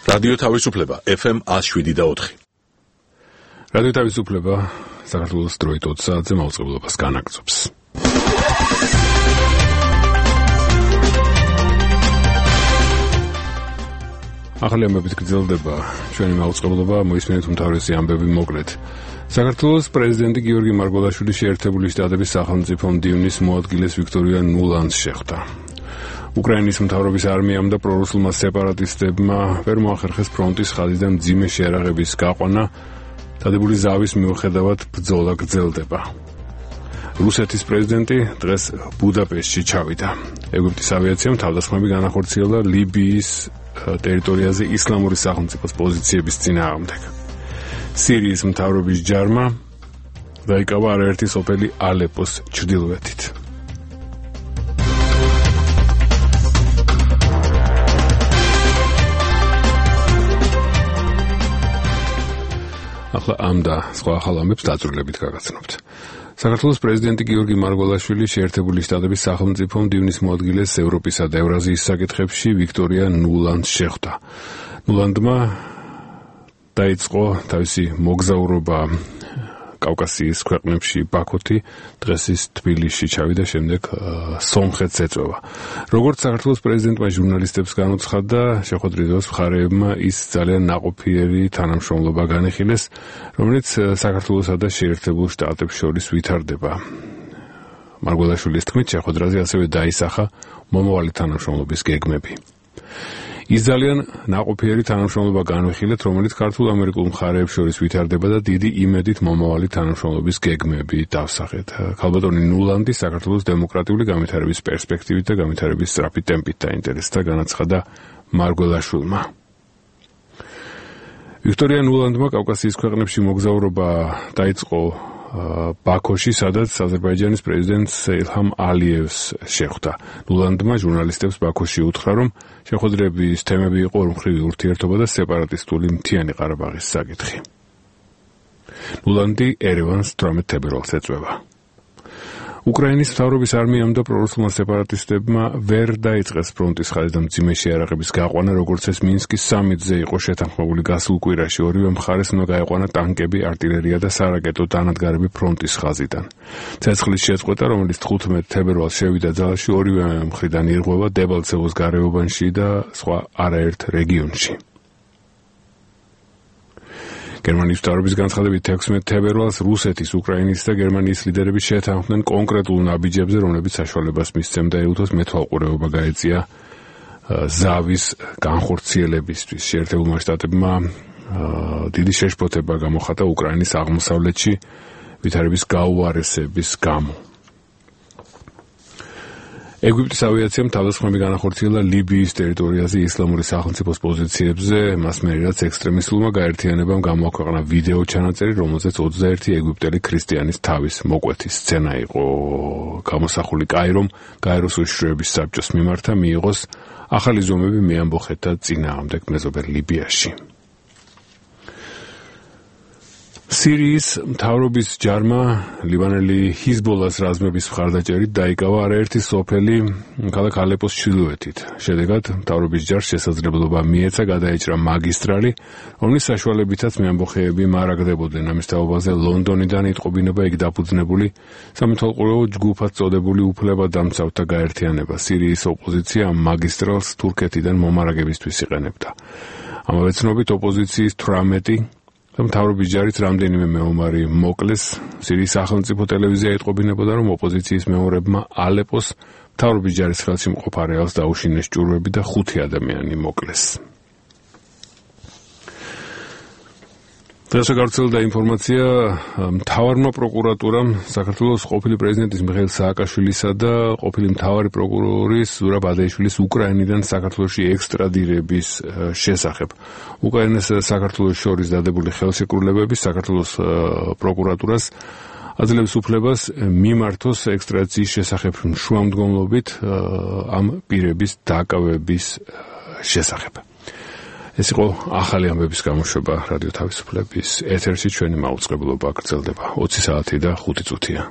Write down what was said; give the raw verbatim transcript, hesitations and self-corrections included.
რადიო თავისუფლება ეფ ემ one oh seven და four. რადიო თავისუფლება საქართველოს დროით ოცი საათზე მაუწყებლობას განაგრძობს. ახალი ამბებით გრძელდება ჩვენი მაუწყებლობა, მოისმენთ უმთავრესი ამბები მოკლედ. საქართველოს პრეზიდენტი გიორგი მარგველაშვილი შეერთებული შტატების სახელმწიფო მდივნის მოადგილეს ვიქტორია ნულანდს შეხვდა. უკრაინის მთავრობის არმიამ და პრორუსულმა სეპარატისტებმა ვერ მოახერხეს ფრონტის ხაზიდან მძიმე შეერაღების გაყვანა, დადებული ზავის მიუხედავად ბრძოლა გრძელდება. რუსეთის პრეზიდენტი დღეს ბუდაპეშტში ჩავიდა. ეგვიპტის ავიაციამ თავდასხმები განახორციელა ლიბიის ტერიტორიაზე ისლამური სახელმწიფოს პოზიციების წინააღმდეგ. სირიის მთავრობის ჯარმა დაიკავა არაერთი სოფელი ალეპოს ჩრდილოეთით. ახლა ამ და სხვა ახალ ამბებს დაწვრილებით გაგაცნობთ. საქართველოს პრეზიდენტი გიორგი მარგველაშვილი შეერთებული შტატების სახელმწიფო მდივნის მოადგილეს ევროპისა და ევრაზიის საკითხებში ვიქტორია ნულანდს შეხვდა. ნულანდმა დაიწყო თავისი მოგზაურობა კავკასიის ქვეყნებში ბაქოთი, დღეს ის თბილისში ჩავიდა, შემდეგ სომხეთს ეწევა. როგორც საქართველოს პრეზიდენტმა ჟურნალისტებს განუცხადა, შეხვედრის მხარეებმა ის ძალიან ნაყოფიერი თანამშრომლობა განიხილეს, რომელიც საქართველოსა და შეერთებულ შტატებს შორის ვითარდება. მარგველაშვილის თქმით, შეხვედრაზე ასევე დაისახა მომავალი თანამშრომლობის გეგმები. ის ძალიან ნაყოფიერი თანამშრომლობა განვიხილეთ, რომელიც ქართულ-ამერიკულ მხარეებს შორის ვითარდება და დიდი იმედით მომავალი თანამშრომლობის გეგმები დავსახეთ. ქალბატონი ნულანდი საქართველოს დემოკრატიული განვითარების პერსპექტივით და განვითარების სწრაფი ტემპით დაინტერესდა, განაცხადა მარგველაშვილმა. ვიქტორია ნულანდმა კავკასიის ქვეყნებში მოგზაურობა დაიწყო ბაქოში, სადაც აზერბაიჯანის პრეზიდენტს ილჰამ ალიევს შეხვდა. ნულანდმა ჟურნალისტებს ბაქოში უთხრა, რომ შეხვედრების თემები იყო ორმხრივი ურთიერთობა და სეპარატისტული მთიანი ყარაბაღის საკითხი. ნულანდი ერევანს თვრამეტ თებერვალს ეწვევა. უკრაინის მთავრობის არმიამ და პრორუსულმა სეპარატისტებმა ვერ დაიწყეს ფრონტის ხაზიდან მძიმე შეერაღების გაყვანა, როგორც ეს მინსკის სამიტზე იყო შეთანხმებული გასულ კვირაში. ორივე მხარეს უნდა გაეყვანა ტანკები, არტილერია და სარაკეტო დანადგარები ფრონტის ხაზიდან. ცეცხლის შეწყვეტა, რომელიც თხუთმეტ თებერვალს შევიდა ძალაში, ორივე მხრიდან ირღვევა დებალცევოს გარეუბანში და სხვა არაერთ რეგიონში. გერმანიის მთავრობის განცხადებით ექვსმეტ თებერვალს რუსეთის, უკრაინის და გერმანიის ლიდერები შეთანხმდნენ კონკრეტულ ნაბიჯებზე, რომლებიც საშუალებას მისცემდა ეუთოს მეთვალყურეობა გაეწია ზავის განხორციელებისთვის. შეერთებულმა შტატებმა დიდი შეშფოთება გამოხატა უკრაინის აღმოსავლეთში ვითარების გაუარესების გამო. ეგვიპტის ავიაციამ თავდასხმები განახორციელა ლიბიის ტერიტორიაზე ისლამური სახელმწიფოს პოზიციებზე, მას მერე რაც ექსტრემისტულმა გაერთიანებამ გამოაქვეყნა ვიდეო ჩანაწერი, რომელზეც ოცდაერთი ეგვიპტელი ქრისტიანის თავის მოკვეთის სცენა იყო გამოსახული. კაირომ გაეროს უშიშროების საბჭოს მიმართა მიიღოს ახალი ზომები მეამბოხეთთა წინააღმდეგ მეზობელ ლიბიაში. სირიის მთავრობის ჯარმა ლიბანელი ჰიზბოლას რაზმების მხარდაჭერით დაიკავა არაერთი სოფელი ქალაქ ალეპოს ჩრდილოეთით. შედეგად მთავრობის ჯარს შესაძლებლობა მიეცა გადაეჭრა მაგისტრალი, რომლის საშუალებითაც მეამბოხეები მარაგდებოდნენ. ამის თაობაზე ლონდონიდან იტყობინება იქ დაფუძნებული სამეთვალყურეო ჯგუფად წოდებული უფლებადამცავთა გაერთიანება. სირიის ოპოზიცია ამ მაგისტრალს თურქეთიდან მომარაგებისთვის იყენებდა. ამავე ცნობით ოპოზიციის თვრამეტი მთავრობის ჯარით რამდენიმე მეომარი მოკლეს. სირიის სახელმწიფო ტელევიზია იტყობინებოდა, რომ ოპოზიციის მეომრებმა ალეპოს მთავრობის ჯარის ხელში მყოფ არეალს დაუშინეს ჭურვები და ხუთი ადამიანი მოკლეს. დღეს გავრცელდა ინფორმაცია, მთავარმა პროკურატურამ საქართველოს ყოფილი პრეზიდენტის მიხეილ სააკაშვილისა და ყოფილი მთავარი პროკურორის ზურაბ ადეიშვილის უკრაინიდან საქართველოში ექსტრადირების შესახებ. უკრაინას და საქართველოს შორის დადებული ხელშეკრულებები საქართველოს პროკურატურას აძლევს უფლებას მიმართოს ექსტრადიციის შესახებ შუამდგომლობით ამ პირების დაკავების შესახებ. ეს იყო ახალი ამბების გამოშვება რადიო თავისუფლების ეთერში. ჩვენი მაუწყებლობა გრძელდება ოცი საათი და ხუთი წუთია.